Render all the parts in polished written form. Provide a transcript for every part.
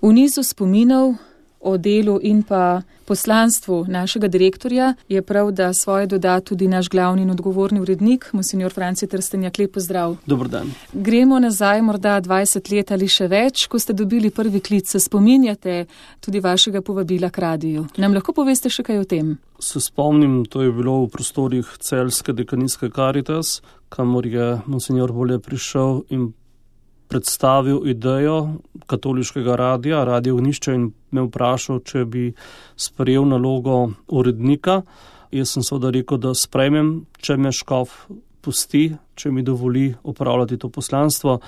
V nizu spominov o delu in pa poslanstvu našega direktorja je prav, da svoje doda tudi naš glavni in odgovorni urednik, monsignor Franci Trstenjak. Lep pozdrav. Dober dan. Gremo nazaj morda 20 let ali še več, ko ste dobili prvi klic. Se spominjate tudi vašega povabila k radiju? Nam lahko poveste še kaj o tem? Se spomnim, to je bilo v prostorih Celjske dekanijske Karitas, kamor je monsignor Bole prišel in predstavil idejo katoliškega radia, Radio Ognjišče, in me vprašal, če bi sprejel nalogo urednika. Jaz sem seveda rekel, da sprejmem, če me škof pusti, če mi dovoli opravljati to poslanstvo,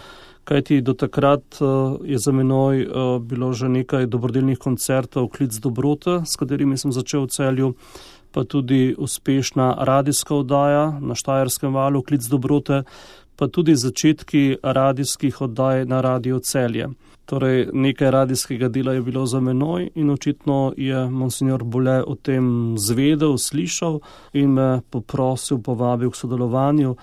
kajti do takrat je za menoj bilo že nekaj dobrodelnih koncertov Klic dobrote, s katerimi sem začel v Celju, pa tudi uspešna radijska oddaja na Štajerskem valu Klic dobrote, pa tudi začetki radijskih oddaj na Radio Celje. Torej, nekaj radijskega dela je bilo za menoj in očitno je monsignor Bole o tem zvedel, slišal in me poprosil, povabil k sodelovanju.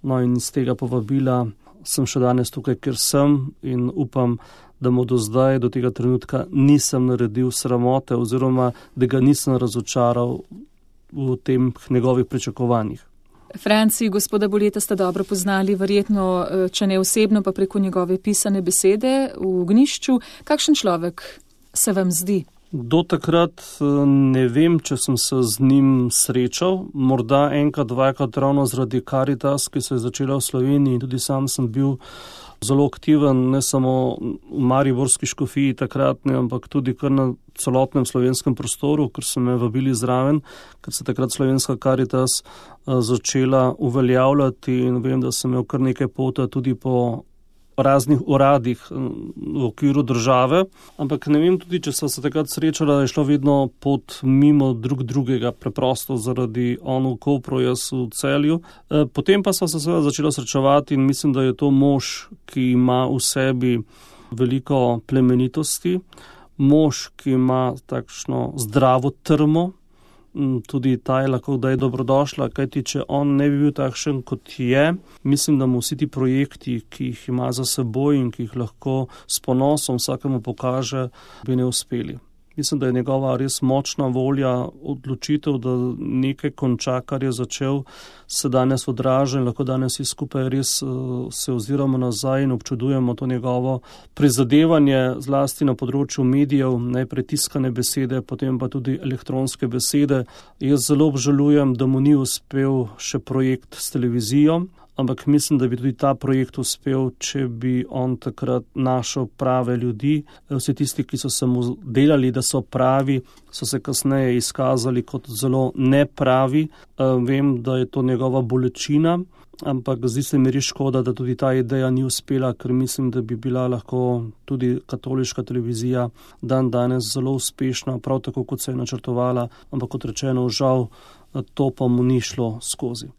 No in iz tega povabila sem še danes tukaj, ker sem, in upam, da mu do zdaj, do tega trenutka nisem naredil sramote oziroma da ga nisem razočaral v tem njegovih pričakovanjih. Franci, gospoda Boleta ste dobro poznali, verjetno, če ne osebno, pa preko njegove pisane besede v Ognjišču. Kakšen človek se vam zdi? Do takrat ne vem, če sem se z njim srečal, morda enkrat, dvakrat ravno zaradi Karitas, ki se je začela v Sloveniji, in tudi sam sem bil zelo aktiven, ne samo v mariborski škofiji takratne, ampak tudi kar na celotnem slovenskem prostoru, ker so me vabili zraven, ker se takrat slovenska Karitas začela uveljavljati, in vem, da sem imel kar nekaj pota tudi po raznih uradih v okviru države, ampak ne vem tudi, če so se takrat srečala, je šlo vedno pot mimo drugega, preprosto zaradi on v Kopru, jaz v Celju. Potem pa so se seveda začela srečevati in mislim, da je to mož, ki ima v sebi veliko plemenitosti, mož, ki ima takšno zdravo trmo, tudi ta je lahko da je dobrodošla, kajti če on ne bi bil takšen, kot je, mislim, da mu vsi ti projekti, ki jih ima za seboj in ki jih lahko s ponosom vsakemu pokaže, bi ne uspeli. Mislim, da je njegova res močna volja, odločitev, da nekaj konča, kar je začel, se danes odraža in lahko danes vsi skupaj res se oziramo nazaj in občudujemo to njegovo prizadevanje, zlasti na področju medijev, najprej tiskane besede, potem pa tudi elektronske besede. Jaz zelo obžalujem, da mu ni uspel še projekt s televizijo, ampak mislim, da bi tudi ta projekt uspel, če bi on takrat našel prave ljudi. Vsi tisti, ki so se mu delali, da so pravi, so se kasneje izkazali kot zelo nepravi. Vem, da je to njegova bolečina, ampak zdi se mi res škoda, da tudi ta ideja ni uspela, ker mislim, da bi bila lahko tudi katoliška televizija danes zelo uspešna, prav tako, kot se je načrtovala, ampak kot rečeno, žal, to pa mu ni šlo skozi.